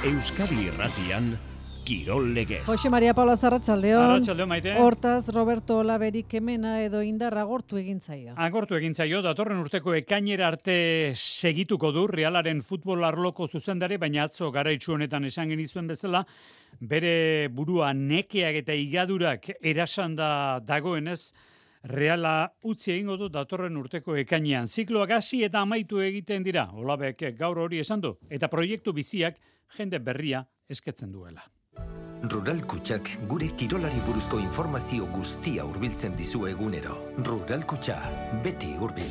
Euskadi Irratian, Kirol Legez. Jose Maria Paula Arratsaldeon. Arratsaldeon, Maite. Hortaz, Roberto Olaberik kemena edo indar agortu egin zaio. Agortu egin zaio, datorren urteko ekainera arte segituko du Realaren futbol arloko zuzendari, baina atzo garaitsu honetan esan genizuen bezala, bere burua nekeak eta igadurak erasanda dagoenez, Reala utzi egingo du datorren urteko ekainean. Zikloak hasi eta amaitu egiten dira. Olabek gaur hori esan du. Eta proiektu biziak jende berria esketzen duela. Rural Kutxak gure kirolari buruzko informazio guztia hurbiltzen dizu egunero. Rural Kutxa, beti hurbil.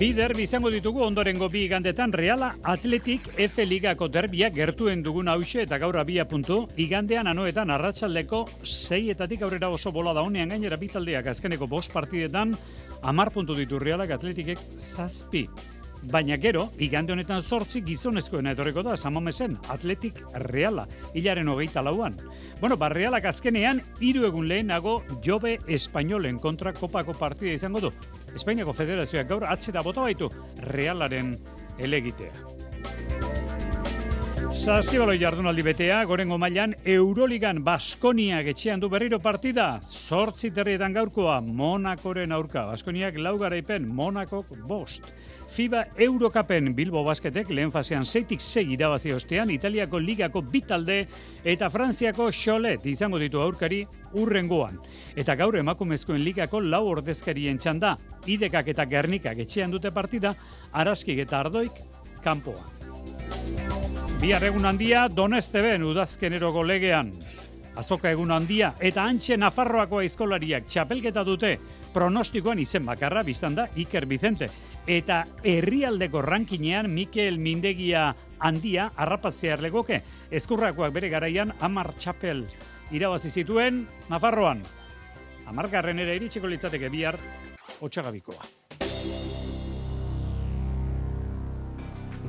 Bi derbi izango ditugu ondorengo bi igandetan Reala Athletic F Ligako derbiak gertuen dugun hause eta gaur abia puntu. Igandean anoetan arratsaldeko 6etatik aurrera oso bola da honean gainera bi taldeak azkeneko 5 partidetan 10 puntu ditu Realak Athleticek 7. Baina gero, igande honetan 8 gizonezkoena etorriko da, Samamesen, Athletic Reala, hilaren 24an. Bueno, Realak azkenean, 3 egun lehenago Jobe Espainolen kontra kopako partida izango du. Espainiako Federazioak gaur atzera bota baitu Realaren elegitea. Saskibaloi jardunaldi betea, gorengo mailan Euroligan Baskoniak etxean du berriro partida. 8 terrietan gaurkoa, Monakoren aurka. Baskoniak 4 garaipen, Monakok 5. FIBA Eurocupen Bilbo Basketek lehen fasean 6-6 irabazi ostean, Italiako ligako 2 talde eta Frantziako Cholet izango ditu aurkari urrengoan. Eta gaur emakumezkoen ligako 4 ordezkarien txanda, Idekak eta Gernikak etxean dute partida, Araskik eta Ardoik kanpoa. Bihar egun handia Donesteben udazkeneroko legean. Azoka egun handia eta Antxe Nafarroako aizkolariak txapelketa dute. Pronostikoan izen bakarra biztan da Iker Vicente. Eta herrialdeko rankinean Mikel Mindegia handia harrapatzear legoke. Ezkurrakoak bere garaian 10 txapel irabazi zituen Nafarroan. 10garrenera iritsiko litzateke bihar Otsagabikoa.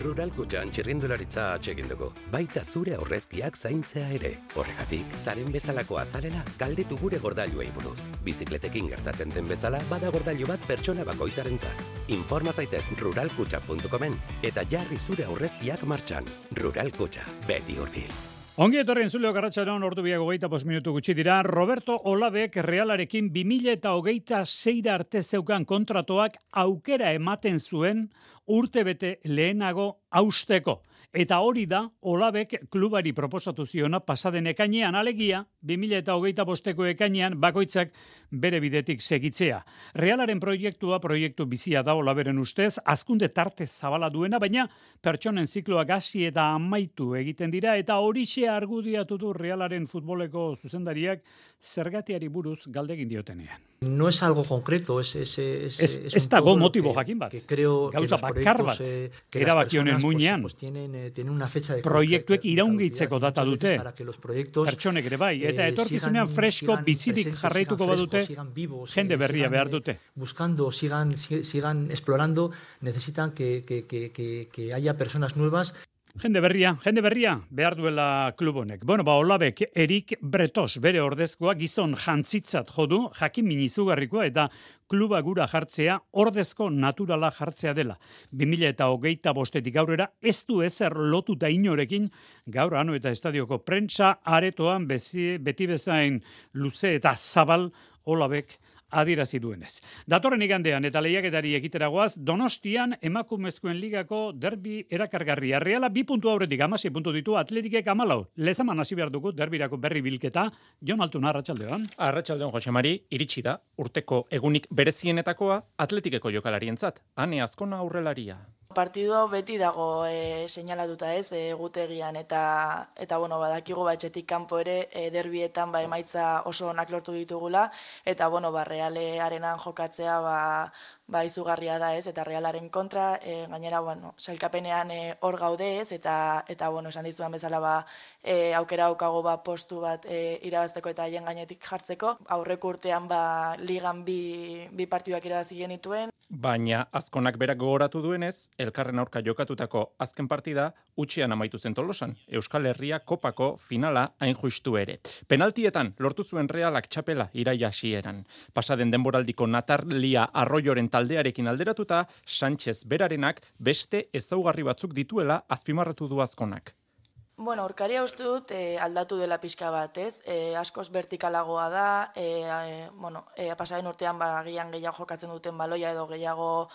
Rural Kutxan txirrindularitza atsegin dugu. Baita zure aurrezkiak zaintzea ere. Horregatik, zaren bezalakoa zarela, galdetu gure gordailuei buruz. Bizikletekin gertatzen den bezala, bada gordailu bat pertsona bakoitzarentzat. Informa zaitez ruralkutxa.comen eta jarri zure aurrezkiak martxan. Rural Kutxa, beti hurbil. Ongi etorri entzuleo Arratsaldeon ordu biak 25 minutu gutxi dira. Roberto Olabek Realarekin 2026 arte zeukan kontratoak aukera ematen zuen urtebete lehenago hausteko. Eta hori da Olabek klubari proposatu ziona pasaden ekainean, alegia 2025ko ekainean bakoitzak bere bidetik segitzea. Realaren proiektua proiektu bizia da Olaberen ustez, hazkunde tarte zabala duena, baina pertsonen zikloak hasi eta amaitu egiten dira eta horixe argudiatu du Realaren futboleko zuzendariak zergatiari buruz galdegin diotenean. No es algo concreto, es dago motibo jakin bat. Gauza bakar bat erabakionen muinean. Tienen una fecha de proiektuek iraungitzeko data dute. Pertsonek ere bai, eta etorkizunean fresko bizirik jarraituko badute, jende berria behar dute. Buscando, sigan explorando, necesitan que haya personas nuevas. Jende berria behar duela klub honek. Bueno, Olabek Erik Bretos bere ordezkoa gizon jantzitzat jodu, jakin minizugarrikoa eta kluba gura jartzea ordezko naturala jartzea dela. 2025etik aurrera ez du ezer lotuta inorekin, gaur ano eta estadioko prentsa aretoan beti bezain luze eta zabal Olabek adierazi duenez. Datorren igandean eta lehiaketari ekiteragoaz, Donostian emakumezkoen ligako derbi erakargarria. Reala 2 puntu aurretik 16 puntu ditu, Atletikek 14. Lezaman hasi behar dugu derbirako berri bilketa. Jon Altuna, arratsaldeon. Arratsaldeon, Jose Mari, iritsi da urteko egunik berezienetakoa Atletikeko jokalarientzat. Ane Azkona aurrelaria. Partidu hau beti dago seinalatuta egutegian eta bueno, badakigu etxetik kanpo ere derbietan emaitza oso onak lortu ditugula eta bueno, Realearenan jokatzea izugarria da eta Realaren kontra, gainera bueno, sailkapenean hor gaude eta bueno, esan dizudan bezala aukera daukago postu bat irabazteko eta haien gainetik jartzeko. Aurreko urtean ligan bi partiduak irabazi genituen. Baina azkonak berak gogoratu duenez, elkarren aurka jokatutako azken partida utxean amaitu zen Tolosan. Euskal Herria kopako finala hain justu ere. Penaltietan lortu zuen Realak txapela iraia hasieran. Pasaden denboraldiko Natalia Arroyoren taldearekin alderatuta, Sánchez berarenak beste ezaugarri batzuk dituela azpimarratu du azkonak. Bueno, aurkaria uste dut aldatu dela pixka bat, ez? Askoz vertikalagoa da, pasaren urtean agian gehiago jokatzen duten baloia edo gehiago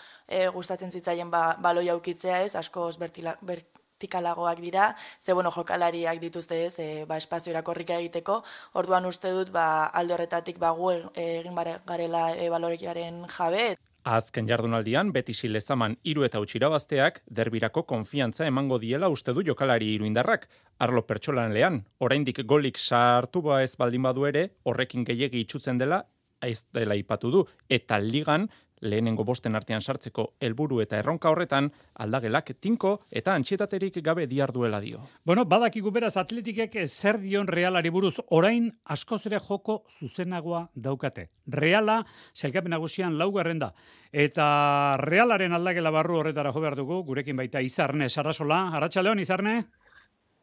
gustatzen zitzaien baloia ukitzea, ez? Askoz vertikalagoak dira, jokalariak dituzte, ez? Espazio irakorrika egiteko, orduan uste dut alde horretatik gu egin garela balorekiaren jabe. Azken jardunaldian, Betisi Lezaman 3 eta irabazteak derbirako konfiantza emango diela uste du jokalari iruindarrak. Arlo pertsonalean, oraindik golik sartu ez baldin badu ere, horrekin gehiegi itxutzen dela, ez dela ipatu du, eta ligan, lehenengo bosten artean sartzeko helburu eta erronka horretan, aldagelak tinko eta antxietaterik gabe diarduela dio. Bueno, badakigu beraz Atletikek zer dion Realari buruz, orain askoz ere joko zuzenagoa daukate. Reala, sailkapen nagusian 4. da. Eta Realaren aldagela barru horretara jo behar dugu, gurekin baita Izarne Sarasola. Arratsaldeon, Izarne?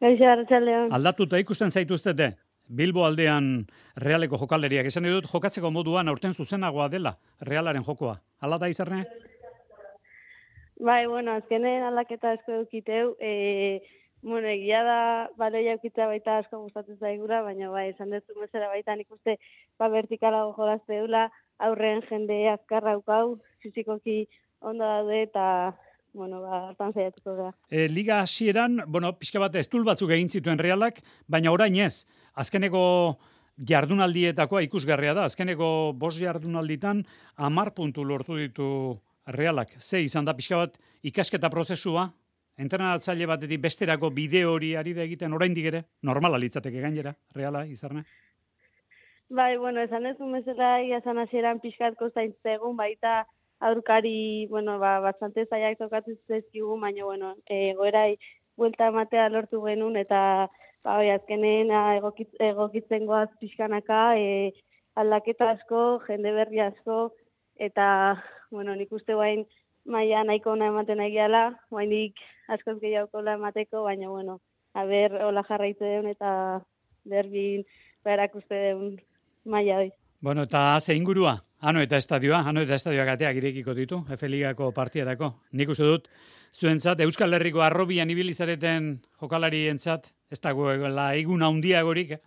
Gaixo, arratsaldeon. Aldatuta ikusten zaituztete? Bilbo aldean Realeko jokalderiak esan dut jokatzeko moduan aurten zuzenagoa dela Realaren jokoa. Hala da, Izarne? Bai, azkenen aldaketa asko dukiteu. Egia da baloia ukitza baita asko gustatzen zaigura, baina esan dut bezala baita nik uste vertikalago jolazte dula, aurren jende azkarra ukau, fizikoki ondo daude eta hartan zaiatuko da. Liga hasieran, pixka bat estul batzuk egin zituen Realak, baina orain ez. Azkeneko jardunaldietakoa ikusgarria da. Azkeneko 5 jardunalditan 10 puntu lortu ditu Realak. Ze izan da pixka bat ikasketa prozesua, entrenatzaile batetik besterako bide hori ari da egiten oraindik ere, normala litzateke gainera, Reala, Izarne? Bai, esan ez bezala izan hasieran pixkatko zaintzegun, baita aurkari, bastante zaiak tokatzen zezkigu, baina, goerai buelta ematea lortu genuen, eta azkenen egokitzen goaz pixkanaka, aldaketa asko, jende berri asko, eta, nik uste guain maia nahiko ona ematen egiala, guainik askoz gehiago emateko, baina, hola jarraitu deun, eta derbin erakuste deun maia hoi. Eta ze ingurua? Ano eta estadioak ateak irekiko ditu, F-ligako partiarako. Nik uste dut, zuentzat, Euskal Herriko arrobian ibilizareten jokalarientzat, ez dagoela egun handiagorik,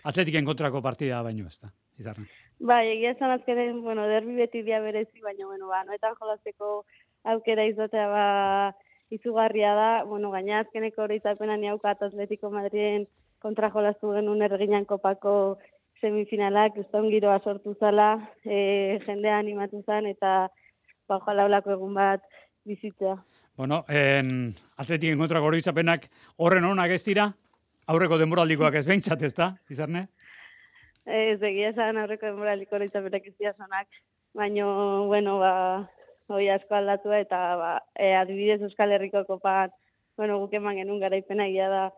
Atletiken kontrako partida baino ez da, Izarne. Bai, egia esan azkenen, derbi beti dia berezi, baina, noetan jolazteko aukera izatea izugarria da, gaina azkeneko hori izapenan jaukat Atletico Madriden kontra jolaztu genuen erginan kopako semifinalak, uston giroa sortu zala, jendea animatu zen, eta ojalá olako egun bat bizitzea. Atletiken kontrako hori izapenak horren onak ez dira, aurreko denboraldikoak ez behintzat ez da, Izarne? Ez egia esan aurreko denboraldiko hori izapenak ez dira zonak, baina, hori asko aldatua, eta adibidez Euskal Herriko kopan, guk eman genuen garaipena egia da,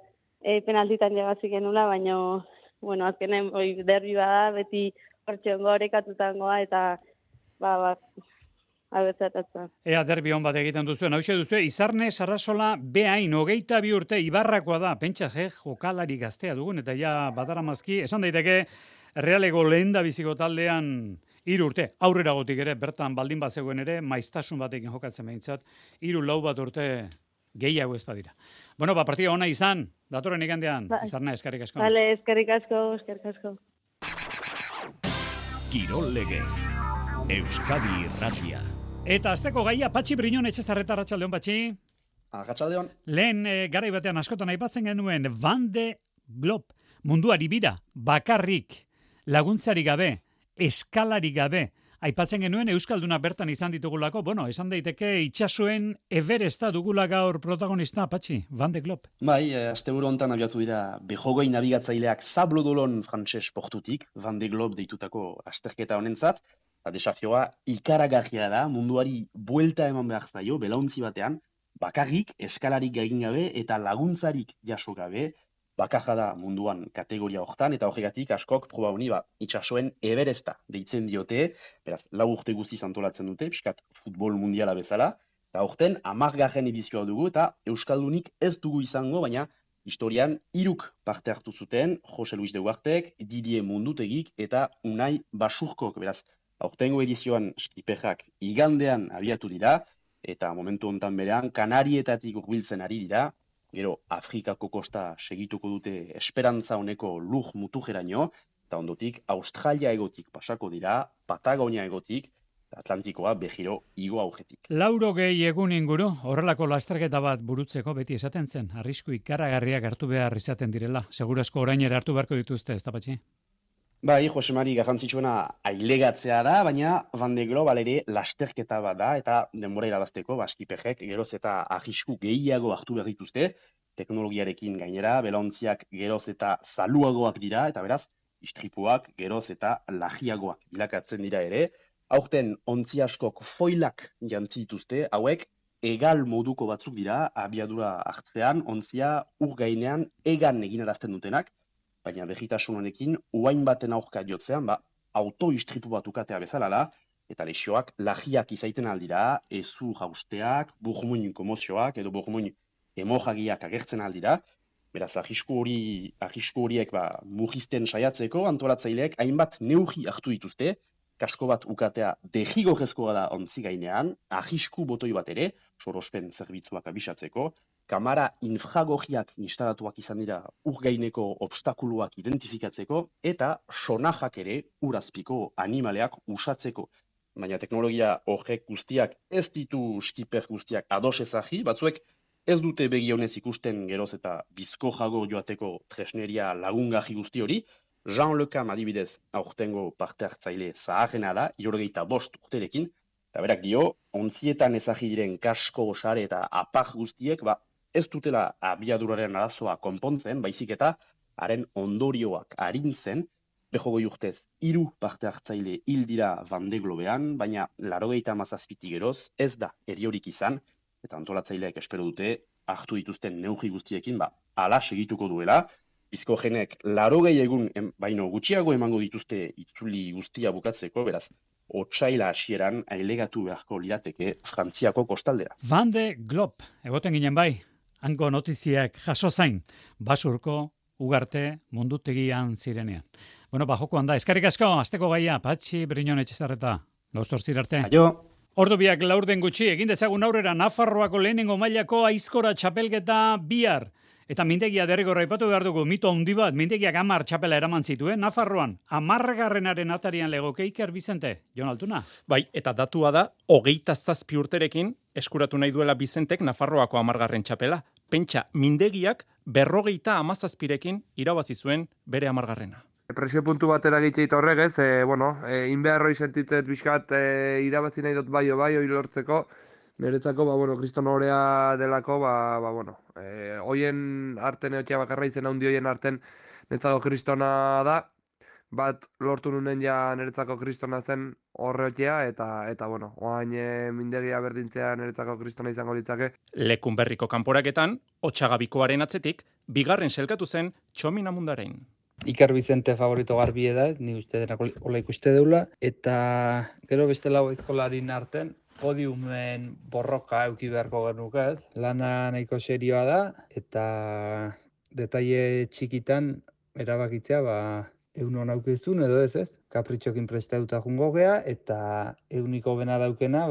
penaltitan jagazik genula, baina, azkenen derbi bada, beti hortxeongo horekatutangoa, eta, abetzatatzen. Ea derbi hon bat egiten duzuen, hau duzu, Izarne Sarasola behain 22 urte Ibarrakoa da, pentsa jokalari gaztea dugun, eta ja badaramazki, esan daiteke Realeko lehen da biziko taldean 3 urte, aurrera gotik ere, bertan baldin bat zegoen ere, maiztasun batekin jokatzen behintzat, 3-4 bat urte gehiago ez badira. Partida ona izan, datoren igandean, Izarne, eskerrik asko. Vale, eskerrik asko. Kirol Legez, Euskadi Irratia. Eta azteko gaia, Patxi Briñon etxezarreta, arratsaldeon, Patxi. Arratsaldeon. Lehen garai batean askotan aipatzen genuen Van de Globe, munduari bira, bakarrik, laguntzari gabe, eskalari gabe, aipatzen genuen Euskalduna bertan izan ditugulako, esan daiteke itsasoen Everesta dugula gaur protagonista, Patxi, Van de Globe. Bai, asteburu hontan abiatu dira behogoi nabigatzaileak Sablodolon frantses portutik, Van de Globe deitutako asterketa honentzat, eta desafioa ikaragarria da, munduari buelta eman behar zaio, belauntzi batean, bakarrik, eskalarik egin gabe eta laguntzarik jaso gabe, bakarra da munduan kategoria hortan, eta horregatik askok proba honi itsasoen Everesta deitzen diote, beraz, 4 urte guztiz antolatzen dute, pixkat futbol mundiala bezala, eta horten 10. edizioa dugu, eta Euskaldunik ez dugu izango, baina historian 3 parte hartu zuten, Jose Luis de Ugartek, Didier Mundutegik eta Unai Basurkok, beraz, aurtengo edizioan skipejak igandean abiatu dira, eta momentu hontan berean Kanarietatik hurbiltzen ari dira, gero Afrikako kosta segituko dute esperantza honeko lur mutujeraino, eta ondotik Australia egotik pasako dira, Patagonia egotik, Atlantikoa behiro igo aurretik. 80 egun inguru, horrelako lasterketa bat burutzeko beti esaten zen, arrisku ikaragarriak hartu behar izaten direla. Segurazko orainera hartu beharko dituzte, ez da Patxi? Bai, Jose Mari, garrantzitsuena ailegatzea da, baina Van de Global ere lasterketa bat da, eta denbora irabazteko, skipejek geroz eta arrisku gehiago hartu behar dituzte, teknologiarekin gainera, belaontziak geroz eta zaluagoak dira, eta beraz, istripuak geroz eta lagiagoak bilakatzen dira ere. Aurten ontzi askok foilak jantzi dituzte, hauek egal moduko batzuk dira, abiadura hartzean, ontzia ur gainean egan eginarazten dutenak, baina begitasun honekin uain baten aurka jotzean, auto-istripu bat ukatea bezala da, eta lesioak lagiak izaiten aldira, ezu jausteak, burmuin komozioak edo burmuin hemoragiak agertzen aldira, beraz arrisku horiek mugisten saiatzeko antolatzaileek hainbat neurri hartu dituzte, kasko bat ukatea derrigorrezkoa da ontzi gainean, arrisku botoi bat ere, sorospen zerbitzuak abisatzeko, kamera infragorriak instalatuak izan dira ur gaineko obstakuluak identifikatzeko, eta sonajak ere urazpiko animaleak usatzeko. Baina teknologia horrek guztiak ez ditu skiper guztiak ados ezagi, batzuek ez dute begionez ikusten geroz eta bizko jago joateko tresneria lagungarri guzti hori. Jean Le Cam adibidez aurtengo parte hartzaile zaharrena da, 75 urterekin, eta berak dio, ontzietan ezagi diren kasko, sare eta apar guztiek, ez dutela abiaduraren arazoa konpontzen, baizik eta haren ondorioak arintzen, 80 urtez 3 parte hartzaile hil dira Van de Globean, baina 97 geroz ez da heriorik izan, eta antolatzaileak espero dute hartu dituzten neurri guztiekin, hala segituko duela. Bizkogenek 80 egun baino gutxiago emango dituzte itzuli guztia bukatzeko, beraz, otsaila hasieran ailegatu beharko lirateke Frantziako kostaldera. Van de Globe, egoten ginen bai, hango notiziak jaso zain, Basurko, Ugarte, Mundutegian zirenean. Bueno, jokoan da, eskerrik asko, asteko gaia, Patxi Briñon Etxezarreta, gauz zortzir arte. Aio! Ordu biak laurden gutxi, egin dezagun aurrera Nafarroako lehenengo mailako aizkora txapelketa bihar. Eta mintegia derrigorra aipatu behar dugu, mito handi bat, mintegiak 10 txapela eraman zituen, Nafarroan, 10. atarian legoke Iker Bizente, Jon Altuna. Bai, eta datua da, 27 urterekin eskuratu nahi duela Bizentek Nafarroako 10. txapela. Pentsa, mintegiak 57rekin irabazi zuen bere 10. Presio puntu batera gitxeit horregez, inbeharroi sentitzet bizkat irabazi nahi dut bai hori lortzeko, niretzako, kriston horea delako, hoien arten eotxea bakarra izen handi hoien arten niretzako kristona da, bat lortu nunen ja niretzako kristona zen horreotxea, eta oain mindegia berdintzea niretzako kristona izango litzake. Lekunberriko kanporaketan, Otsagabikoaren atzetik, bigarren selkatu zen Txomin Amundarein. Iker Bizente favorito garbie da, ni uste denak hola ikuste deula, eta gero beste lau aizkolarin arten, podiumen borroka euki beharko genuke ez. Lana nahiko serioa da, eta detaile txikitan erabakitzea, egun hon aukizun edo ez. Kapritxokin prestauta jungo gea, eta euniko bena daukena,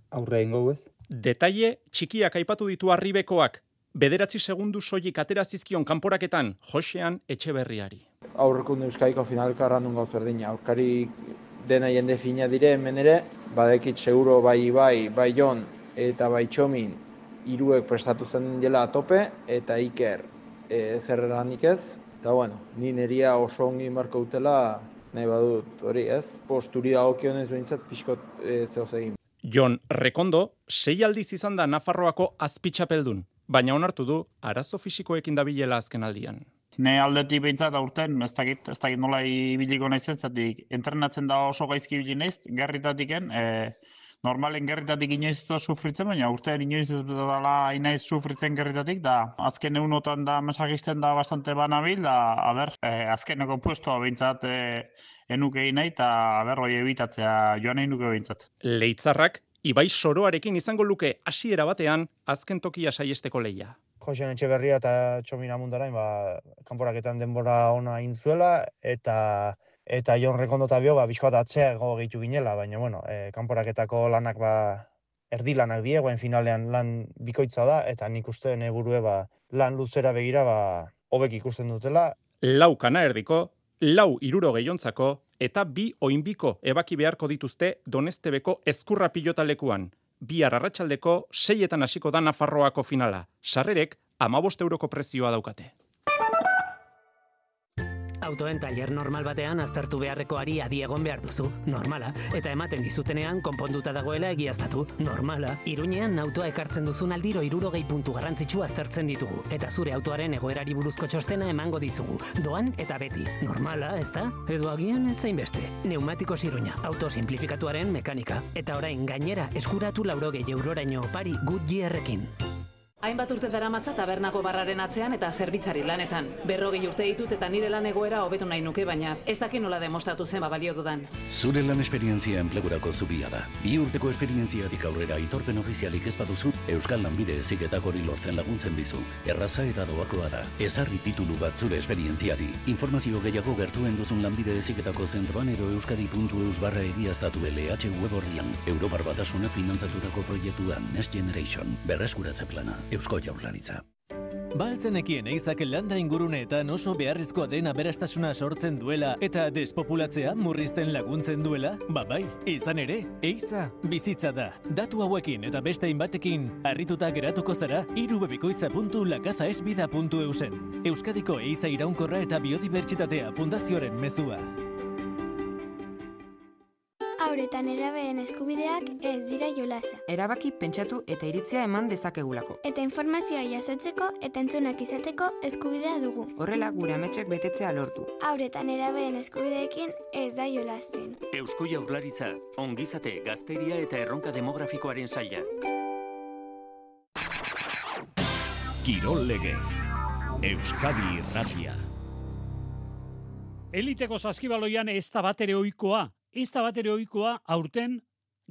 aurre ingo ez. Detaile txikiak aipatu ditu Arribekoak, 9 segundu soilik aterazizkion kanporaketan Josean Etxeberriari. Aurrekunde Euskadiko finalka errandun gauz berdina. Aurkari dena jende fina dire hemen ere, badekit seguro bai Jon eta bai Txomin hiruek prestatu zen dela tope, eta Iker zer eranik ez. Eta ni neria oso ongi marko dutela nahi badut hori ez. Posturi dagokionez behintzat pixkot zehoz egin. Jon Rekondo 6 aldiz izan da Nafarroako azpitxapeldun, baina onartu du arazo fisikoekin dabilela azken aldian. Ne aldetik behintzat aurten, ez dakit nola ibiliko naizen, zatik entrenatzen da oso gaizki ibili naiz, garritatiken, normalen gerritatik inoiz ez da sufritzen, baina urtean inoiz ez dela inaiz sufritzen gerritatik, da azken egunotan da mesagisten da bastante banabil, da, azkeneko puestoa behintzat enuke nahi, eta hoi ebitatzea joan nahi nuke behintzat. Leitzarrak, Ibai Soroarekin izango luke hasiera batean azken tokia saiesteko leia. Josean Etxeberria eta Txomin Amundarain, kanporaketan denbora ona egin zuela, eta Jon Rekondo eta bio, bizkoat atzeago gehitu ginela, baina, kanporaketako lanak, erdi lanak die, guain finalean lan bikoitza da, eta nik uste burue, lan luzera begira, hobek ikusten dutela. 4 kana erdiko, 4 hirurogeiiontzako, eta 2 oinbiko ebaki beharko dituzte Donestebeko ezkurra pilotalekuan. Bihar arratsaldeko 6etan hasiko da Nafarroako finala. Sarrerek 15 euroko prezioa daukate. Autoen tailer normal batean aztertu beharrekoari adi egon behar duzu, normala, eta ematen dizutenean konponduta dagoela egiaztatu, normala. Iruñean autoa ekartzen duzun aldiro 60 puntu garrantzitsu aztertzen ditugu, eta zure autoaren egoerari buruzko txostena emango dizugu, doan eta beti, normala, ezta? Edo agian ez zainbeste. Neumatikos Iruña, auto simplifikatuaren mekanika, eta orain gainera eskuratu 80 euroraino opari Goodyearrekin. Hainbat urte daramatza tabernako barraren atzean eta zerbitzari lanetan. 40 urte ditut eta nire lan egoera hobetu nahi nuke, baina ez daki nola demostratu zen balio dudan. Zure lan esperientzia enplegurako zubia da. 2 urteko esperientziatik aurrera aitorpen ofizialik ez baduzu, Euskal Lanbide Heziketak hori lortzen laguntzen dizu. Erraza eta doakoa da. Ezarri titulu bat zure esperientziari. Informazio gehiago gertuen duzun Lanbide Heziketako zentroan edo euskadi.eus/egiaztatu LH web orrian. Europar Batasunak finantzatutako proiektuan Next Generation. Berreskuratze plana. Eusko Jaurlaritza. Baltzenekien eizak landa inguruneetan oso beharrezkoa den aberastasuna sortzen duela eta despopulatzea murrizten laguntzen duela? Bai, izan ere, eiza bizitza da. Datu hauekin eta beste hainbatekin harrituta geratuko zara irubebikoitza.lakazaesbida.eusen. Euskadiko eiza iraunkorra eta biodibertsitatea fundazioaren mezua. Haur eta nerabeen eskubideak ez dira jolasa. Erabaki, pentsatu eta iritzia eman dezakegulako. Eta informazioa jasotzeko eta entzunak izateko eskubidea dugu. Horrela gure ametxek betetzea lortu. Haur eta nerabeen eskubideekin ez da jolasten. Eusko Jaurlaritza, ongizate, gazteria eta erronka demografikoaren saila. Kirol legez, Euskadi Irratia. Eliteko saskibaloian ez da batere ohikoa. Ez da batere ohikoa aurten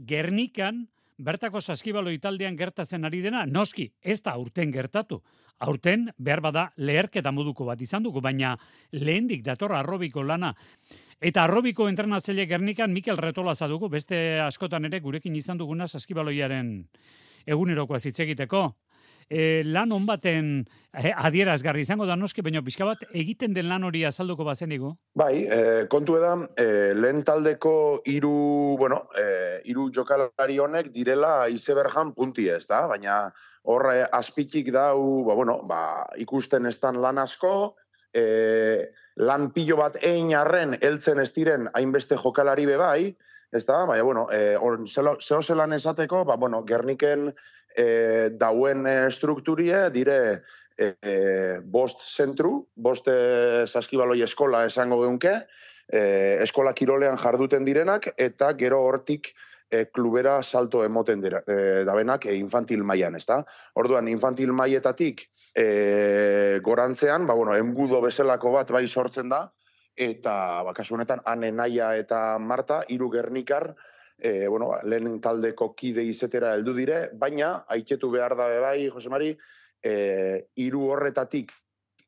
Gernikan bertako saskibaloi taldean gertatzen ari dena. Noski, ez da aurten gertatu. Aurten behar bada leherketa moduko bat izan dugu, baina lehendik dator arrobiko lana. Eta arrobiko entrenatzaile Gernikan Mikel Retolaza dugu, beste askotan ere gurekin izan duguna saskibaloiaren egunerokoa hitz egiteko. Lan on baten adierazgarri izango da noski, baina pixka bat egiten den lan hori azalduko bazenigo? Bai, kontu da, lehen taldeko hiru jokalari honek direla izeberjan punti ez da, baina hor azpitik dau, ikusten ez dan lan asko, lan pilo bat egin arren heltzen ez diren hainbeste jokalari bebai, ez da, baina, zelan esateko, Gerniken dauen strukturie dire 5 zentru, 5 saskibaloi eskola esango geunke, eskola kirolean jarduten direnak, eta gero hortik klubera salto emoten dabenak infantil mailan, ez da? Orduan, infantil mailetatik gorantzean, enbudo bezalako bat bai sortzen da, eta kasu honetan Ane, Naia eta Marta, 3 gernikar, lehen taldeko kide izetera heldu dire, baina aitetu behar da bai, Jose Mari, 3 horretatik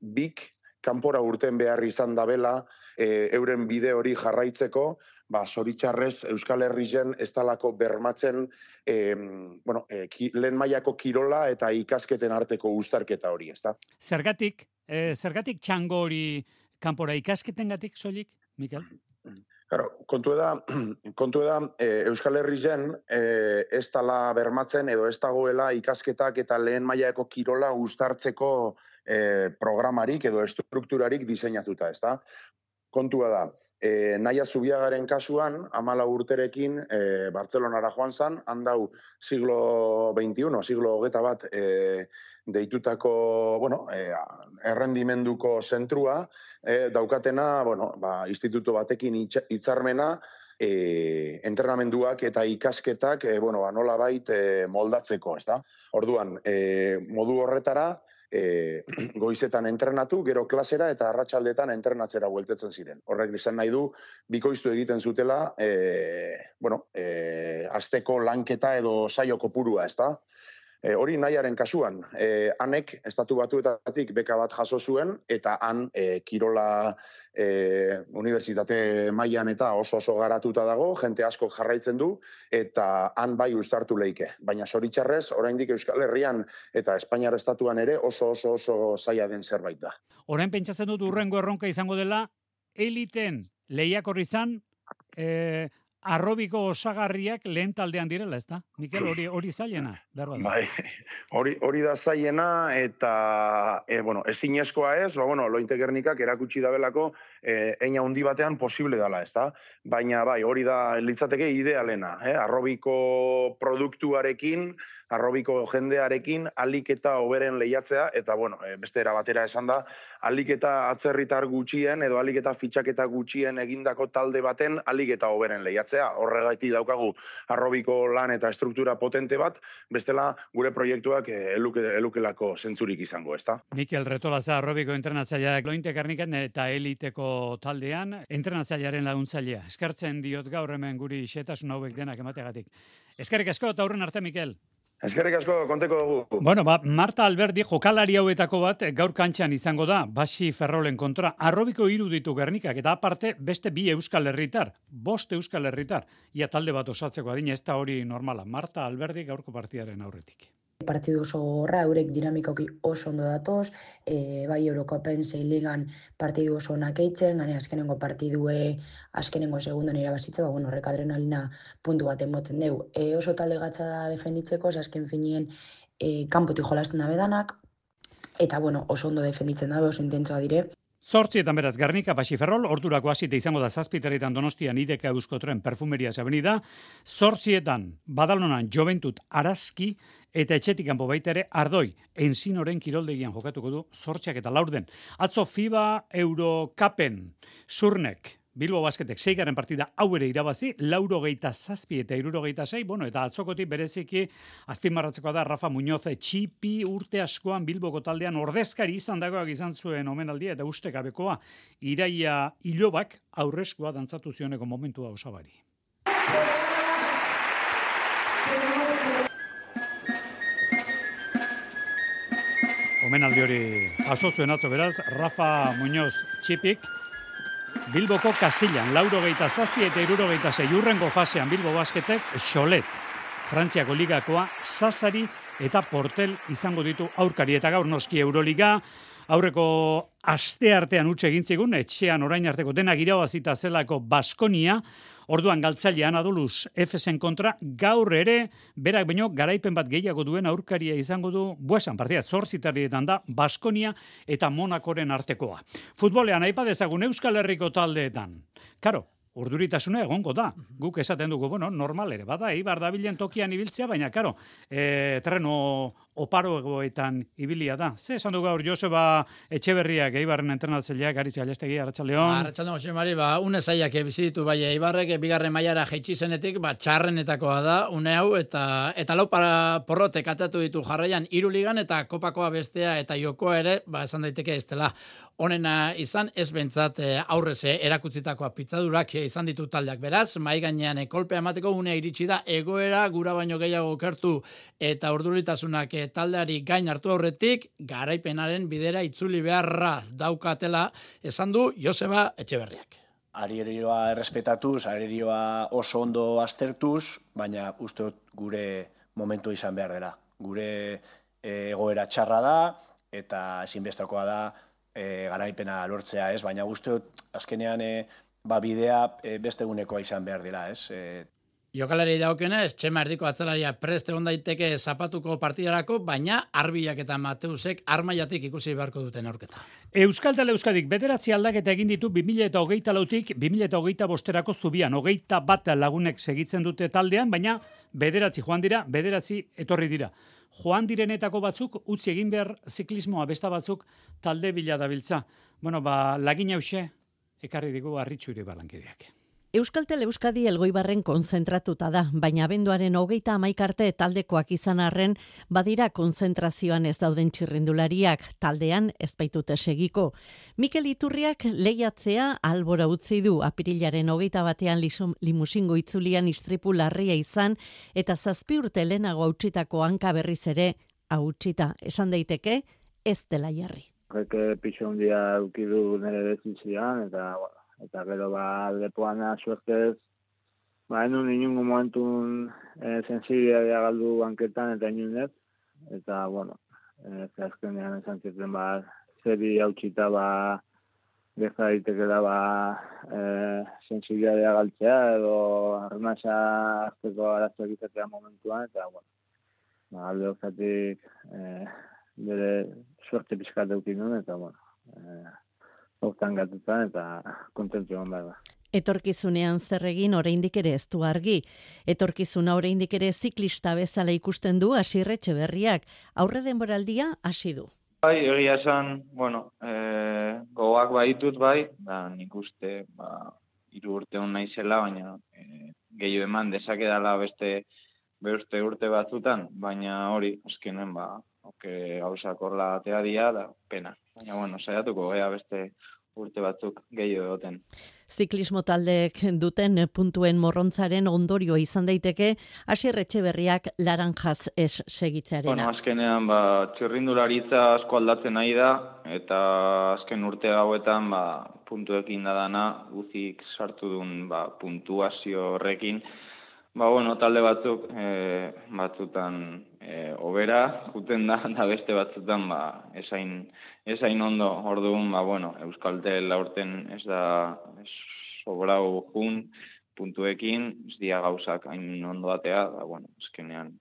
2 kanpora urten behar izan dabela euren bide hori jarraitzeko, zoritxarrez Euskal Herrien ez talako bermatzen lehen mailako kirola eta ikasketen arteko uztarketa hori, ezta? Zergatik txango hori kanpora ikasketengatik soilik, Mikel? Claro, kontu da Euskal Herrien ez tala bermatzen edo ez dagoela ikasketak eta lehen mailako kirola uztartzeko programarik edo estrukturarik diseinatuta, ezta? Kontua da, Naia Zubiagaren kasuan, 14 urterekin Bartzelonara joan zan, handau siglo XXI, siglo 21 deitutako, errendimenduko zentrua, daukatena, instituto batekin hitzarmena, entrenamenduak eta ikasketak nolabait moldatzeko, ezta? Orduan, modu horretara, goizetan entrenatu, gero klasera eta arratsaldetan entrenatzera bueltetzen ziren. Horrek izan nahi du, bikoiztu egiten zutela, asteko lanketa edo saio kopurua, ezta? Hori nahiaren kasuan, hanek Estatu Batuetatik beka bat jaso zuen, eta han kirola unibertsitate mailan eta oso garatuta dago, jente asko jarraitzen du, eta han bai uztartu leike. Baina zoritxarrez, oraindik Euskal Herrian eta Espainiar Estatuan ere oso zaila den zerbait da. Orain pentsatzen dut urrengo erronka izango dela, eliten lehiakor izan, arrobiko osagarriak lehen taldean direla, ez da? Mikel, hori zailena, behar bat. Bai, hori da zailena, eta, ezinezkoa ez, Lointe Gernikak erakutsi dabelako, eina handi batean posible dela, ez da? Baina, bai, hori da litzateke idealena, arrobiko produktuarekin, arrobiko jendearekin, alik eta hoberen lehiatzea, eta, beste era batera esan da, alik eta atzerritar gutxien, edo alik eta fitxaketa gutxien egindako talde baten, alik eta hoberen lehiatzea. Horregatik daukagu arrobiko lan eta estruktura potente bat, bestela gure proiektuak elukelako zentzurik izango, ezta? Mikel Retolaza, arrobiko entrenatzaileak Lointe Gernikan eta eliteko taldean, entrenatzailearen laguntzailea. Eskertzen diot gaur hemen guri xetasun hauek denak emategatik. Eskerrik asko eta aurren arte, Mikel. Eskerrik asko, konteko dugu. Marta Alberdi jokalari hauetako bat gaur kantxan izango da, Baxi Ferrolen kontra. Arrobiko 3 ditu Gernikak, eta aparte beste 2 Euskal Herritar, 5 Euskal Herritar. Ia talde bat osatzeko adina, ez da hori normala. Marta Alberdi gaurko partidaren aurretik. Partidu oso gorra, eurek dinamikoki oso ondo datoz, bai Eurokopen 6 ligan partidu oso onak eitzen, gane azkenengo partidue, azkenengo segundan irabazitza, horrek adrenalina puntu bat emoten deu. Oso talde gatza da defenditzeko, azken finien kanpotik jolasten dabe danak, eta oso ondo defenditzen dabe, oso intentsoa dire. 8 beraz, Gernika, Baxi Ferrol, ordurako hasite izango da 7 Donostian Ideka Euskotren Perfumerias Avenida, 8 Badalonan Joventut Araski, eta etxetik kanpo baita ere Ardoi, Enzinoren kiroldegian jokatuko du 8 eta 4. Atzo FIBA Eurocupen Zurnek, Bilbo Basketek 6. partida hau ere irabazi, 87 eta 76, eta atzokotik bereziki azpimarratzeko da Rafa Muñoz txipi urte askoan Bilboko taldean ordezkari izan dagoak izan zuen omenaldia eta ustekabekoa Iraia Ilobak aurreskua dantzatu zioneko momentua osabari. Omenaldi hori jaso zuen atzo beraz, Rafa Muñoz txipik, Bilboko Kasillan, 87 eta 76 urrengo fasean Bilbo Basketek Xolet, Frantziako ligakoa, Sasari eta Portel izango ditu aurkari. Eta gaur noski Euroliga, aurreko aste artean utxe egin zigun, etxean orain arteko denak irabazita zelako Baskonia, orduan galtzailean Adoluz Efesen kontra, gaur ere, berak baino garaipen bat gehiago duen aurkaria izango du, buesan partida 8 da, Baskonia eta Monakoren artekoa. Futbolean aipa dezagun Euskal Herriko taldeetan. Karo, urduritasuna egongo da. Guk esaten dugu, normal ere, bada, Eibar dabilen tokian ibiltzea, baina, karo, terreno oparoegoetan ibilia da. Ze esan du gaur Joseba Etxeberriak, Eibarren entrenatzaileak, Aritz Galestegi, Arratsaldeon. Arratsaldeon, Jose Mari, une zaiak bizitu bai Eibarrek, bigarren mailara jaitsi zenetik, txarrenetakoa da, une hau, eta lau porrotek atatu ditu jarraian 3 ligan, eta kopakoa bestea eta jokoa ere, esan daiteke ez dela. Honena izan, ez bentsat aurrez erakutsitakoa pitzadurak izan ditu taldeak. Beraz, mai gainean kolpea emateko unea iritsi da, egoera gura baino gehiago okertu eta urduritasunak taldeari gain hartu aurretik, garaipenaren bidera itzuli beharra daukatela, esan du Joseba Etxeberriak. Arerioa errespetatuz, arerioa oso ondo aztertuz, baina uste gure momentu izan behar dela. Gure egoera txarra da, eta ezinbestakoa da garaipena lortzea, ez? Baina uste azkenean bidea beste egunekoa izan behar dela, ez? Jokalari daukionez, Txema erdiko atzelaria prest egon daiteke zapatuko partidarako, baina Arbilak eta Mateusek armaiatik ikusi beharko duten aurketa. Euskaltel Euskadik 9 aldaketa egin ditu 2024tik 2025erako zubian. 21 lagunek segitzen dute taldean, baina 9 joan dira, 9 etorri dira. Joan direnetako batzuk utzi egin behar ziklismoa, besta batzuk talde bila dabiltza. Lagin hause ekarri digu Arritxu Iribarlankideak. Euskaltel Euskadi Elgoibarren konzentratuta da, baina abenduaren 31 arte taldekoak izan arren badira konzentrazioan ez dauden txirrindulariak, taldean ez baitute segiko. Mikel Iturriak lehiatzea albora utzi du, apirilaren 21 limusingo itzulian istripu larria izan eta 7 urte lehenago hautsitako hanka berriz ere hautsita. Esan daiteke ez dela jarri. Pixo hundia eukidu nire dezitzian, eta gero lepoan suertez, enun inungo momentun sensibilidadea galdu banketan eta inunez, eta, azkenean esan ziren, zeri hautsita, geza daitekela, sensibilidadea galtzea, edo arnasa azteko arazoak izatea momentuan, eta, alde horzatik, bere suerte pixkat eukin duen, eta, hortan gatutan eta kontentu egon behar da. Etorkizunean zer egin oraindik ere ez du argi. Etorkizuna oraindik ere ziklista bezala ikusten du Asier Etxeberriak. Aurre denboraldia hasi du. Bai, egia esan, gogoak baitut da nik uste 3 urte hon naizela, baina gehiago eman dezakedala beste urte batzutan, baina hori, azkenen, gauzak horla atea dira, da pena. Baina, saiatuko gea beste urte batzuk gehiago egoten. Ziklismo taldeek duten puntuen morrontzaren ondorioa izan daiteke Asier Etxeberriak laranjaz ez segitzearena. Azkenean, txirrindularitza asko aldatzen nahi da, eta azken urte hauetan, puntuekin da dana, guzik sartu duen puntuazio horrekin, talde batzuk batzutan obera juten da beste batzutan esain ondo. Orduan, Euskaltel aurten ez da sobrau jun puntuekin, ez dia gauzak hain ondo atea, azkenean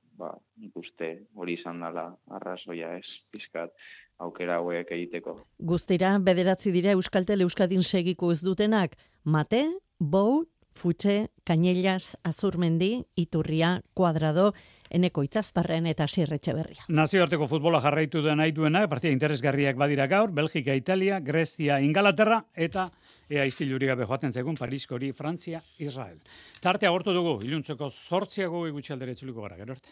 nik uste hori izan dela arrazoia ez pizkat aukera hauek egiteko. Guztira, 9 dira Euskaltel Euskadin segiko ez dutenak, Mate, Bou, Futxe, Cañellas, Azurmendi, Iturria, Kuadrado, Eneko Itzazparren eta Asier Etxeberria. Nazioarteko futbola jarraitu da nahi duena, partida interesgarriak badira gaur, Belgika, Italia, Grezia, Ingalaterra eta istiluri gabe joaten zegun Pariskori, Frantzia, Israel. Tartea agortu dugu, iluntzeko 8 gutxi aldera itzuliko gara, gero arte.